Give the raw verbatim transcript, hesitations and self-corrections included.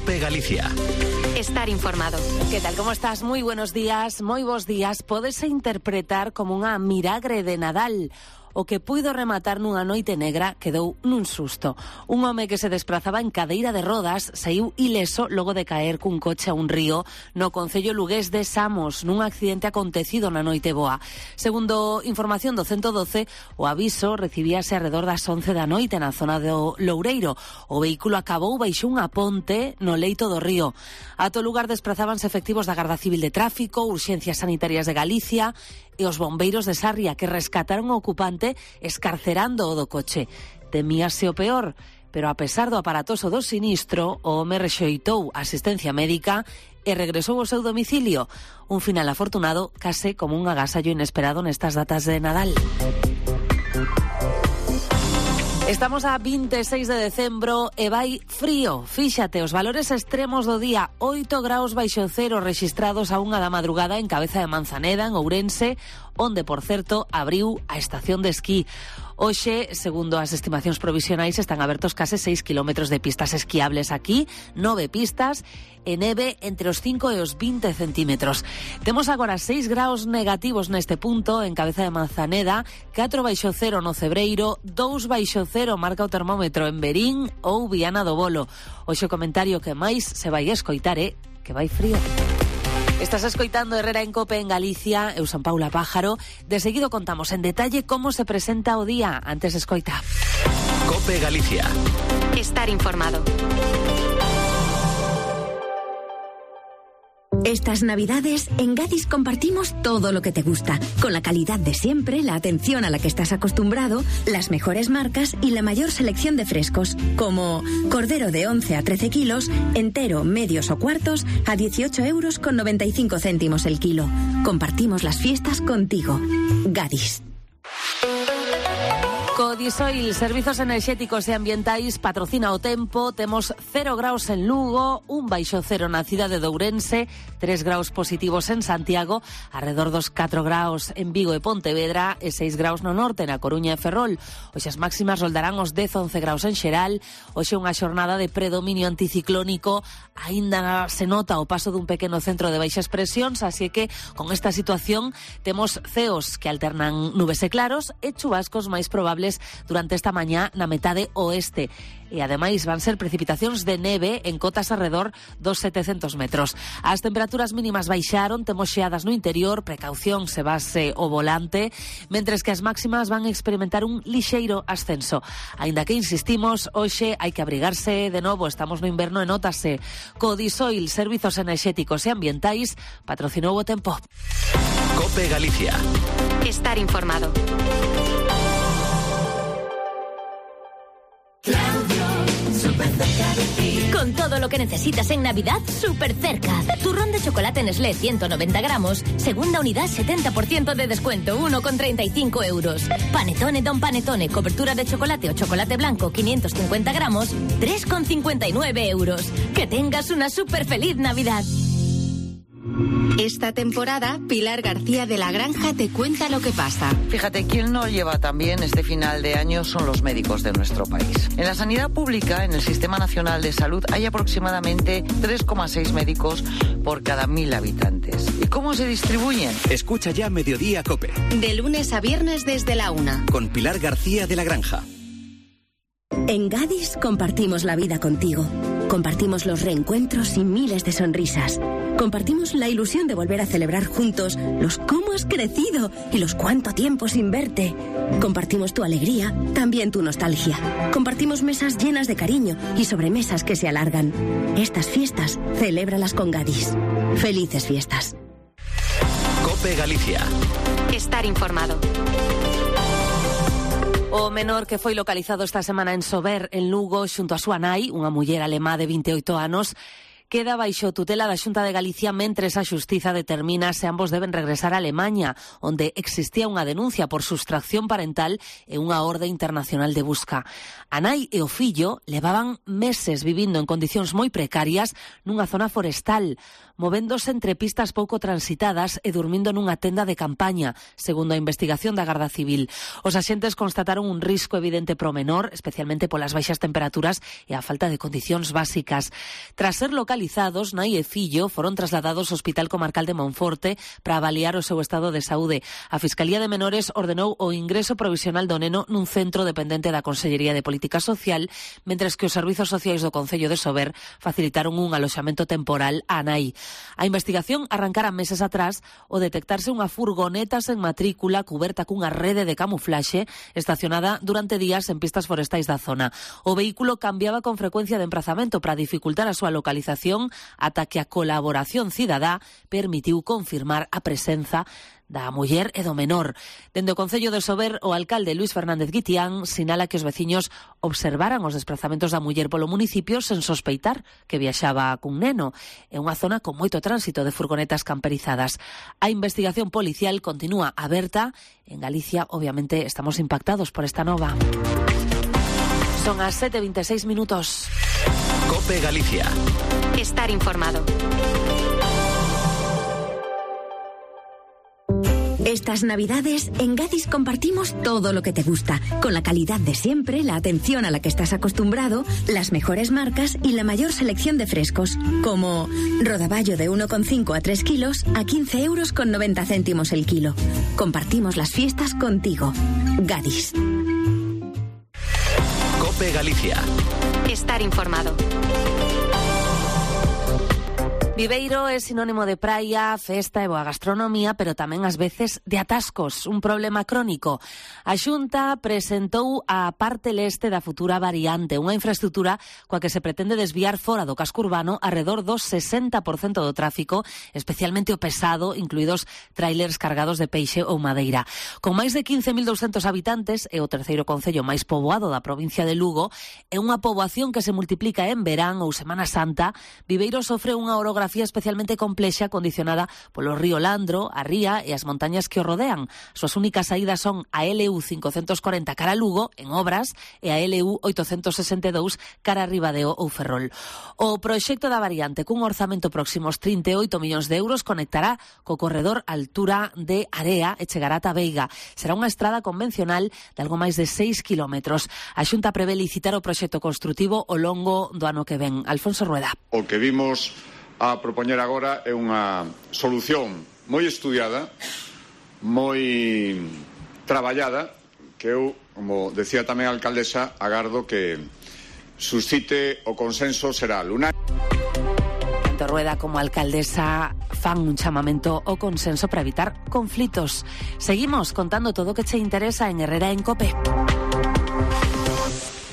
COPE Galicia. Estar informado. Que tal, como estás? Moi buenos días, moi bons días. Pódese interpretar como unha miragre de Nadal. O que puido rematar nunha noite negra quedou nun susto. Un home que se desprazaba en cadeira de rodas saiu ileso logo de caer cun coche a un río no concello lugués de Samos, nun accidente acontecido na noite boa. Segundo información do ciento doce, o aviso recibíase arredor das once da noite na zona do Loureiro. O vehículo acabou baixo unha ponte no leito do río. Ato lugar desprazábanse efectivos da Garda Civil de Tráfico, Urxencias Sanitarias de Galicia e os bombeiros de Sarria, que rescataron o ocupante escarcerando o do coche. Temíase o peor, pero a pesar do aparatoso do sinistro, o home rexeitou asistencia médica e regresou ao seu domicilio. Un final afortunado, case como un agasallo inesperado nestas datas de Nadal. Estamos a veintiséis de decembro e vai frío. Fíxate, os valores extremos do día, oito graus baixo cero rexistrados a unha da madrugada en Cabeza de Manzaneda, en Ourense, onde, por certo, abriu a estación de esquí. Hoxe, segundo as estimacións provisionais, están abertos case seis kilómetros de pistas esquiables aquí, nove pistas, e neve entre os cinco e os vinte centímetros. Temos agora seis graus negativos neste punto, en Cabeza de Manzaneda, catro baixo cero no Cebreiro, dous baixo cero marca o termómetro en Verín ou Viana do Bolo. Hoxe o comentario que máis se vai escoitar é que vai frío. Estás escoitando Herrera en COPE en Galicia, eu son Paula Pájaro. De seguido contamos en detalle como se presenta o día. Antes escoita. COPE Galicia. Estar informado. Estas Navidades, en Gadis compartimos todo lo que te gusta, con la calidad de siempre, la atención a la que estás acostumbrado, las mejores marcas y la mayor selección de frescos, como cordero de once a trece kilos, entero, medios o cuartos, a dieciocho euros con noventa y cinco céntimos el kilo. Compartimos las fiestas contigo. Gadis. Codisoil, Servizos Enerxéticos e Ambientais, patrocina o tempo. Temos cero graus en Lugo, un baixo cero na cidade de Ourense, tres graus positivos en Santiago, arredor dos catro graus en Vigo e Pontevedra e seis graus no norte, na Coruña e Ferrol. Hoxe as máximas roldarán os dez a once graus en xeral. Hoxe unha xornada de predominio anticiclónico. Aínda se nota o paso dun pequeno centro de baixas presións, así que con esta situación temos ceos que alternan nubes e claros e chubascos máis probables durante esta mañá na metade oeste. E ademais van ser precipitacións de neve en cotas alrededor dos setecentos metros. As temperaturas mínimas baixaron, temos xeadas no interior, precaución se base o volante, mentres que as máximas van experimentar un lixeiro ascenso. Aínda que insistimos, hoxe hai que abrigarse de novo, estamos no inverno e nótase. Codisoil, Servizos Enerxéticos e Ambientais, patrocinou o tempo. COPE Galicia. Estar informado. Con todo lo que necesitas en Navidad, súper cerca. Turrón de chocolate Nestlé ciento noventa gramos, segunda unidad setenta por ciento de descuento, uno con treinta y cinco euros. Panetone Don Panetone, cobertura de chocolate o chocolate blanco quinientos cincuenta gramos, tres con cincuenta y nueve euros. Que tengas una súper feliz Navidad. Esta temporada, Pilar García de la Granja te cuenta lo que pasa. Fíjate, quien no lleva también este final de año son los médicos de nuestro país. En la sanidad pública, en el Sistema Nacional de Salud, hay aproximadamente tres coma seis médicos por cada mil habitantes. ¿Y cómo se distribuyen? Escucha ya Mediodía COPE. De lunes a viernes desde la una. Con Pilar García de la Granja. En Gadis compartimos la vida contigo. Compartimos los reencuentros y miles de sonrisas. Compartimos la ilusión de volver a celebrar juntos los cómo has crecido y los cuánto tiempo sin verte. Compartimos tu alegría, también tu nostalgia. Compartimos mesas llenas de cariño y sobremesas que se alargan. Estas fiestas, celébralas con Gadis. Felices fiestas. COPE Galicia. Estar informado. O menor que foi localizado esta semana en Sober, en Lugo, xunto a súa nai, unha muller alemá de veintiocho anos, queda baixo tutela da Xunta de Galicia mentres a Xustiza determina se ambos deben regresar a Alemaña, onde existía unha denuncia por sustracción parental e unha orde internacional de busca. A nai e o fillo levaban meses vivindo en condicións moi precarias nunha zona forestal, movéndose entre pistas pouco transitadas e durmindo nunha tenda de campaña, segundo a investigación da Garda Civil. Os axentes constataron un risco evidente pro menor, especialmente polas baixas temperaturas e a falta de condicións básicas. Tras ser localizados, nai e fillo foron trasladados ao Hospital Comarcal de Monforte para avaliar o seu estado de saúde. A Fiscalía de Menores ordenou o ingreso provisional do neno nun centro dependente da Consellería de Política Social, mentres que os servizos sociais do Concello de Sober facilitaron un aloxamento temporal á nai. A investigación arrancara meses atrás ao detectarse unha furgoneta sen matrícula cuberta cunha rede de camuflaxe estacionada durante días en pistas forestais da zona. O vehículo cambiaba con frecuencia de emprazamento para dificultar a súa localización ata que a colaboración cidadá permitiu confirmar a presenza da muller e do menor. Dende o Concello de Sober, o alcalde Luis Fernández Guitián sinala que os veciños observaran os desplazamentos da muller polo municipio sen sospeitar que viaxaba cun neno. É unha zona con moito tránsito de furgonetas camperizadas. A investigación policial continúa aberta. En Galicia, obviamente, estamos impactados por esta nova. Son as sete e veintiséis minutos. COPE Galicia. Estar informado. Estas Navidades, en Gadis compartimos todo lo que te gusta, con la calidad de siempre, la atención a la que estás acostumbrado, las mejores marcas y la mayor selección de frescos, como rodaballo de uno coma cinco a tres kilos a quince euros con noventa céntimos el kilo. Compartimos las fiestas contigo. Gadis. COPE Galicia. Estar informado. Viveiro é sinónimo de praia, festa e boa gastronomía, pero tamén ás veces de atascos, un problema crónico. A Xunta presentou a parte leste da futura variante, unha infraestrutura coa que se pretende desviar fora do casco urbano arredor do sesenta por cento do tráfico, especialmente o pesado, incluídos trailers cargados de peixe ou madeira. Con máis de quince mil douscentos habitantes, é o terceiro concello máis poboado da provincia de Lugo, é unha poboación que se multiplica en verán ou Semana Santa. Viveiro sofre unha orografía especialmente complexa condicionada polo río Landro, a ría e as montañas que o rodean. Suas únicas saídas son a L U cincocentos corenta cara a Lugo, en obras, e a L U oitocentos sesenta e dous cara a Ribadeo ou Ferrol. O proxecto da variante, cun orzamento próximo aos trinta e oito millóns de euros, conectará co corredor altura de Area e chegará ata Veiga. Será unha estrada convencional de algo máis de seis kilómetros. A Xunta prevé licitar o proxecto construtivo ao longo do ano que ven. Alfonso Rueda. O que vimos a propoñer agora é unha solución moi estudiada, moi traballada, que eu, como decía tamén a alcaldesa, agardo que suscite o consenso xeral. Una... Tanto Rueda como alcaldesa fan un chamamento ao consenso para evitar conflitos. Seguimos contando todo o que che interesa en Herrera en COPE.